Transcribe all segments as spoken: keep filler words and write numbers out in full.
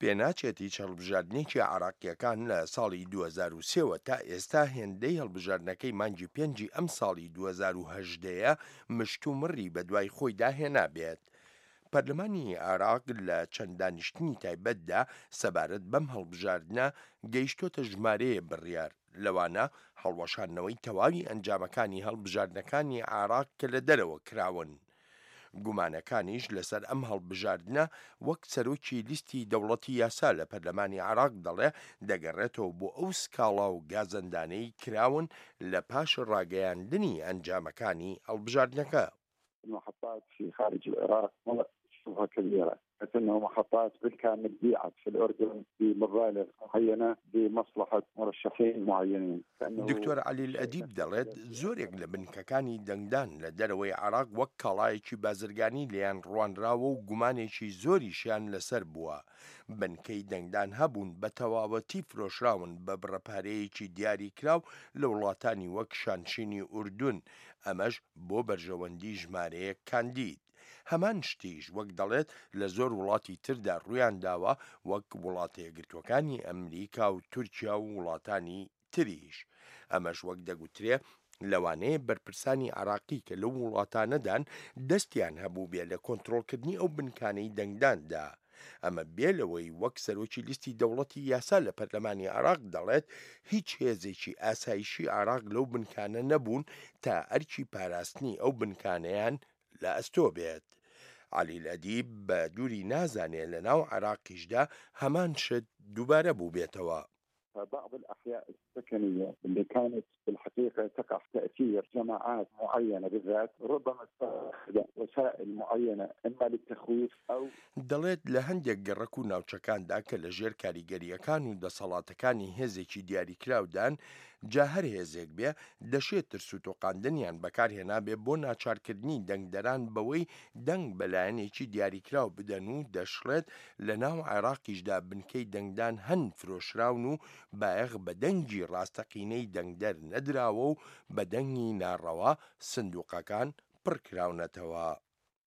پێناچێت هیچ هەڵبژاردنێکی عێراقییەکان لە ساڵی دوو هەزار و سێ وە تا ئێستا هێندەی هەڵبژاردنەکەی مانگی پێنجی ئەمساڵی دوو هەزار و هەژدە یە مشتومڕی بەدوای خۆیدا هێنابێت. پەرلەمانی عێراق لە چەند دانیشتنی تایبەتدا سەبارەت بەم هەڵبژاردنە گەیشتۆتە ژمارەیە بڕیار، لەوانە هەڵوەشاندنەوەی تەواوی ئەنجامەکانی هەڵبژاردنەکانی عێراق کە لە دەرەوە کراون. گومانەکانیش لەسەر ئەم هەڵبژاردنە وەک سەرۆکی لیستی دەوڵەتی یاسا لە پەرلەمانی عێراق دەڵێ دەگەڕێتەوە بۆ ئەو سکاڵا و گازەندانەی کراون لە پاش ڕاگەیاندنی ئەنجامەکانی هەڵبژاردنەکە. المحطات في خارج العراق شبهة كبيرة حيث أنه محطات بالكامل بيعت في الأردن بمبالغ معينة لمصلحة مرشحين معينين. دکتۆر عەلیل ئەدیب دەڵێت، زۆرێک لە بنکەکانی دەنگدان لە دەرەوەی عێراق وەک کاڵایەکی بازرگانی لێیان ڕوانراوە و گومانێکی زۆریشیان لەسەر بووە. بنکەی دەنگدان هەبوون بە تەواوەتی فرۆشراون بە بڕە پارەیەکی دیاریکراو لە وڵاتانی وەک شانشینی ئوردون، ئەمەش بۆ بەرژەوەندی ژمارەیەک کاندید. هەمان شتیش وەک دەڵێت لە زۆر وڵاتی تردا ڕوویانداوە وەک وڵاتە یەکگرتووەکانی ئەمریکا و تورکیا و وڵاتانی تریش. ئەمەش وەک دەگوترێ لەوانەیە بەرپرسانی عێراقی کە لەو وڵاتانەدان دەستیان هەبووبێ لە کۆنترۆڵکردنی ئەو بنکانەی دەنگداندا. ئەمە بێ لەوەی وەک سەرۆکی لیستی دەوڵەتی یاسا لە پەرلەمانی عێراق دەڵێت هیچ هێزێکی ئاسایشی عێراق لەو بنکانە نەبوون تا ئەرکی پاراستنی ئەو بنکانەیان لە ئەستۆ بێت. عەلیل ئەدیب بە دووری نازانێ لە ناو عێراقیشدا هەمان شت دووبارە بووبێتەوە. فبعض الأحياء السكنية اللي كانت في الحقيقة تقع تأثير جماعات معينة بالذات ربما استخدم وسائل معينة إما للتخويف أو دەڵێت لە هەندێک گەڕەک و ناوچەکاندا کە لە ژێر کاریگەرییەکان و دەسەڵاتەکانی هێزێکی دیاریکراودان، جا هەر هێزێک بێ، دەشێ ترس و تۆقاندنیان بەکارهێنابێ بۆ ناچارکردنی دەنگدەران بەوەی دەنگ بە لایەنێکی دیاریکراو بدەن و دەشڵێت لە ناو عێراقیشدا بنکەی دەنگدان هەن فرۆشراون و بایەخ بە دەنگی ڕاستەقینەی دەنگدەر نەدراوە و بە دەنگی ناڕەوا سندوقەکان پڕکراونەتەوە.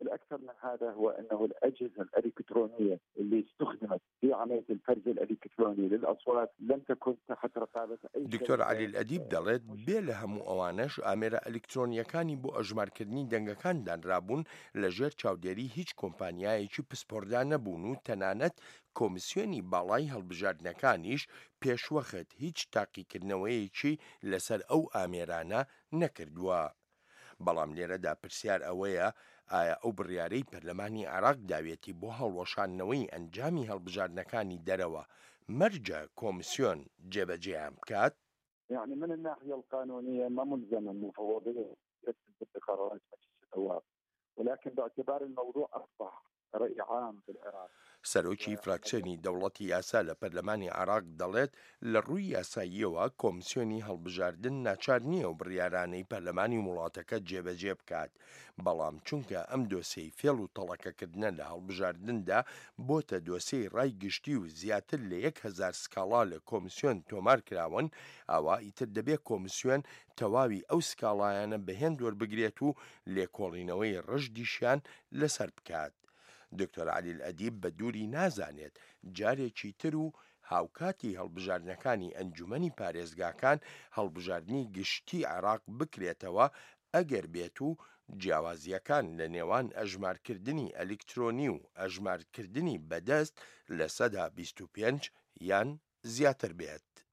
الأكثر من هذا هو أنه الأجهزة الإلكترونية اللي استخدمت في عملية الفرز الإلكتروني للأصوات لم تكن تحت رقابة أي دکتۆر عەلیل ئەدیب دەڵێت، بێ لە هەموو ئەوانەش ئامێرە ئەلیکترۆنییەکانی بۆ ئەژمارکردنی دەنگەکان دانرابوون لەژێر چاودێری هیچ کۆمپانیایەکی پسپۆڕدا نەبوون و تەنانەت کۆمیسیۆنی باڵای هەڵبژاردنەکانیش پێشوەخت هیچ تاقیکردنەوەیەکی لەسەر ئەو ئامێرانە نەکردووە. بەڵام لێرەدا پرسیار ئەوەیە ئایا ئەو بڕیارەی پەرلەمانی عێراق داوێتی بۆ هەڵوەشاندنەوەی ئەنجامی هەڵبژاردنەکانی دەرەوە مەرجە کۆمسیۆن جێبەجێیان بکات؟ يعني من الناحية القانونية ما ملزمة المفوضية بقرارات مجلس النواب ولكن باعتبار الموضوع أصبح رأي عام بالعراق. سەرۆکی فراکسیۆنی دەوڵەتی یاسا لە پەرلەمانی عێراق دەڵێت، لە ڕووی یاساییەوە کۆمسیۆنی هەڵبژاردن ناچار نییە ئەو بڕیارانەی پەرلەمانی وڵاتەکە جێبەجێ بکات، بەڵام چونکە ئەم دۆسێی فێڵ و تەڵەکەکردنە لە هەڵبژاردندا بۆتە دۆسێی ڕای گشتی و زیاتر لە یەک هەزار سکاڵا لە کۆمسیۆن تۆمار کراون، ئەوا ئیتر دەبێ کۆمسیۆن تەواوی ئەو سکاڵایانە بە هێند وەربگرێت و لێکۆڵینەوەی ڕژدیشیان لەسەر بکات. دکتۆر عەلیل ئەدیب بە دووری نازانێت جارێکی تر و هاوکاتی هەڵبژاردنەکانی ئەنجومەنی پارێزگاکان هەڵبژاردنی گشتی عێراق بکرێتەوە ئەگەر بێت و جیاوازییەکان لە نێوان ئەژمارکردنی ئەلیکترۆنی و ئەژمارکردنی بەدەست لە سەدا بیست و پێنج یان زیاتر بێت.